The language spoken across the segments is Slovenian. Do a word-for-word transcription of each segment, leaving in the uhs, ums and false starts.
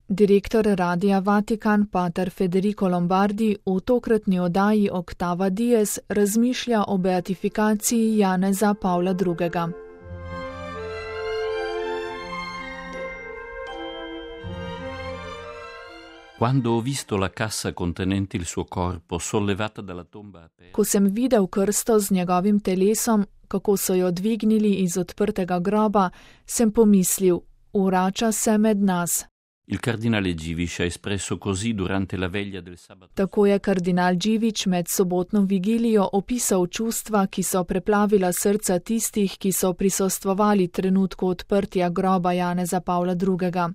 Direktor Radia Vatikan pater Federico Lombardi v tokratni oddaji Octava Dies razmišlja o beatifikaciji Janeza Pavla drugega. Quando ho visto la cassa contenente il suo corpo sollevata dalla tomba aperta. Ko sem videl krsto z njegovim telesom, kako so jo dvignili iz odprtega groba, sem pomislil, vrača se med nas. Il cardinale Givic ha espresso così durante la veglia del sabato. Tako je kardinal Givic med sobotno vigilijo opisal čustva, ki so preplavila srca tistih, ki so prisostvovali trenutku odprtja groba Janeza Pavla drugega.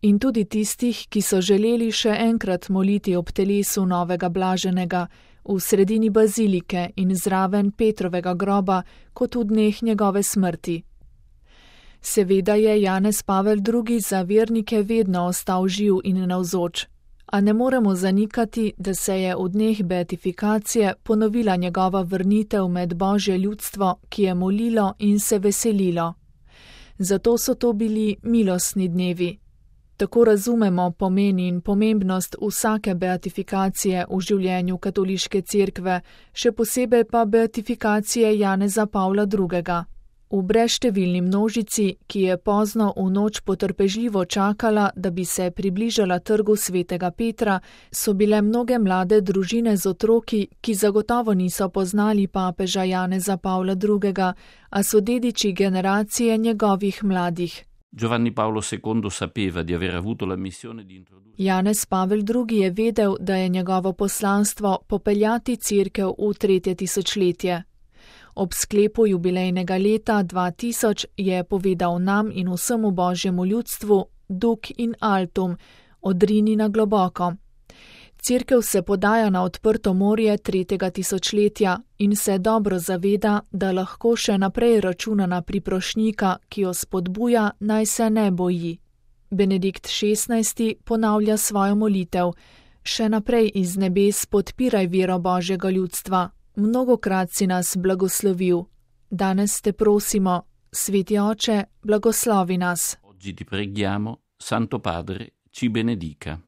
In tudi tistih, ki so želeli še enkrat moliti ob telesu novega blaženega v sredini bazilike in zraven Petrovega groba, kot v dneh njegove smrti. Seveda je Janez Pavel drugi za vernike vedno ostal živ in navzoč, a ne moremo zanikati, da se je v dneh beatifikacije ponovila njegova vrnitev med Božje ljudstvo, ki je molilo in se veselilo. Zato so to bili milostni dnevi. Tako razumemo pomen in pomembnost vsake beatifikacije v življenju katoliške cerkve, še posebej pa beatifikacije Janeza Pavla drugega. V brezštevilni množici, ki je pozno v noč potrpežljivo čakala, da bi se približala trgu svetega Petra, so bile mnoge mlade družine z otroki, ki zagotovo niso poznali papeža Janeza Pavla drugega, a so dediči generacije njegovih mladih. Giovanni Paolo secondo sapeva di aver avuto la missione di introdurre. Janez Pavel drugi je vedel, da je njegovo poslanstvo popeljati cerkev v tretje tisočletje. Ob sklepu jubilejnega leta dva tisoč je povedal nam in vsemu Božjemu ljudstvu Duc in altum, odrini na globoko. Cerkev se podaja na odprto morje tretjega tisočletja in se dobro zaveda, da lahko še naprej računa na priprošnjika, ki jo spodbuja, naj se ne boji. Benedikt šestnajsti ponavlja svojo molitev: še naprej iz nebes podpiraj vero Božjega ljudstva. Mnogokrat si nas blagoslovil. Danes te prosimo, Sveti Oče, blagoslovi nas. Oggi ti preghiamo, Santo Padre, ci benedica.